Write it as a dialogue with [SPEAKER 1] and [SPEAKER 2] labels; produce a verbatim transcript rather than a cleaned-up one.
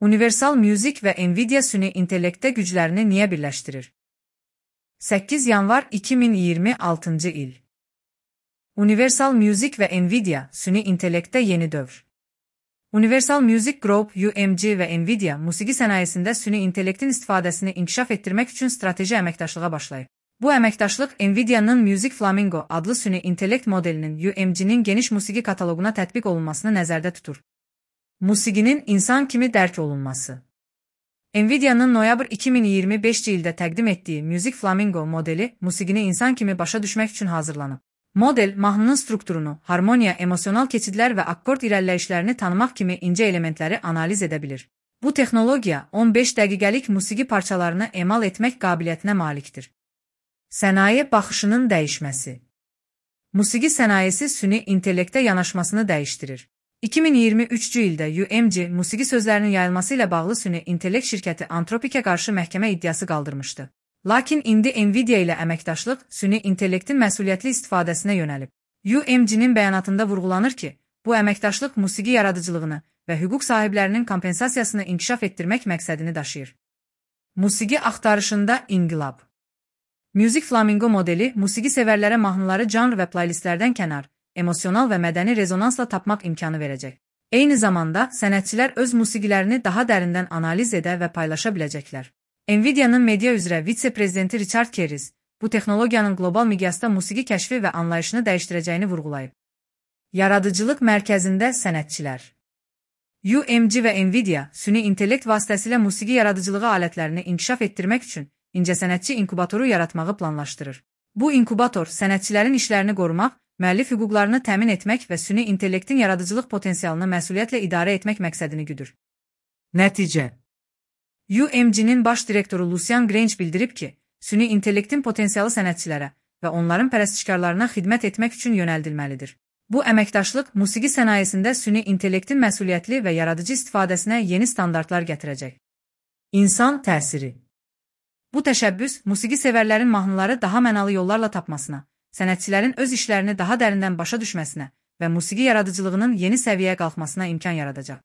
[SPEAKER 1] Universal Music və Nvidia süni intellektdə güclərini niyə birləşdirir? səkkiz yanvar iki min iyirmi altıncı il. Universal Music və Nvidia süni intellektdə yeni dövr. Universal Music Group U M G və Nvidia musiqi sənayesində süni intellektin istifadəsini inkişaf etdirmək üçün strateji əməkdaşlığa başlayıb. Bu əməkdaşlıq Nvidia'nın Music Flamingo adlı süni intellekt modelinin U M G'nin geniş musiqi kataloquna tətbiq olunmasını nəzərdə tutur. Musiqinin insan kimi dərk olunması. Nvidia'nın noyabr iki min iyirmi beşinci ildə təqdim etdiyi Music Flamingo modeli musiqini insan kimi başa düşmək üçün hazırlanıb. Model, mahnının strukturunu, harmoniya, emosional keçidlər və akkord irəliləyişlərini tanımaq kimi incə elementləri analiz edə bilir. Bu texnologiya on beş dəqiqəlik musiqi parçalarını emal etmək qabiliyyətinə malikdir. Sənaye baxışının dəyişməsi. Musiqi sənayesi süni intellektə yanaşmasını dəyişdirir. iki min iyirmi üçüncü ildə U M G musiqi sözlərinin yayılması ilə bağlı süni intellekt şirkəti Anthropic'ə qarşı məhkəmə iddiası qaldırmışdı. Lakin indi Nvidia ilə əməkdaşlıq süni intellektin məsuliyyətli istifadəsinə yönəlib. U M G'nin bəyanatında vurğulanır ki, bu əməkdaşlıq musiqi yaradıcılığını və hüquq sahiblərinin kompensasiyasını inkişaf etdirmək məqsədini daşıyır. Musiqi axtarışında inqilab. Music Flamingo modeli musiqi sevərlərə mahnıları janr və playlistlərdən kənar, emosional və mədəni rezonansla tapmaq imkanı verəcək. Eyni zamanda sənətçilər öz musiqilərini daha dərindən analiz edə və paylaşa biləcəklər. Nvidia'nın media üzrə vitse-prezidenti Richard Kerris bu texnologiyanın qlobal miqyasda musiqi kəşfi və anlayışını dəyişdirəcəyini vurğulayıb. Yaradıcılıq mərkəzində sənətçilər. U M G və Nvidia süni intellekt vasitəsilə musiqi yaradıcılığı alətlərini inkişaf etdirmək üçün incəsənətçi inkubatoru yaratmağı planlaşdırır. Bu inkubator sənətçilərin işlərini qorumaq, müəllif hüquqlarını təmin etmək və süni intellektin yaradıcılıq potensialını məsuliyyətlə idarə etmək məqsədini güdür. Nəticə. U M G'nin baş direktoru Lucian Grange bildirib ki, süni intellektin potensialı sənətçilərə və onların pərəstişkarlarına xidmət etmək üçün yönəldilməlidir. Bu əməkdaşlıq musiqi sənayesində süni intellektin məsuliyyətli və yaradıcı istifadəsinə yeni standartlar gətirəcək. İnsan təsiri. Bu təşəbbüs musiqi sevərlərin mahnıları daha mənalı yollarla tapmasına, sənətçilərin öz işlərini daha dərindən başa düşməsinə və musiqi yaradıcılığının yeni səviyyəyə qalxmasına imkan yaradacaq.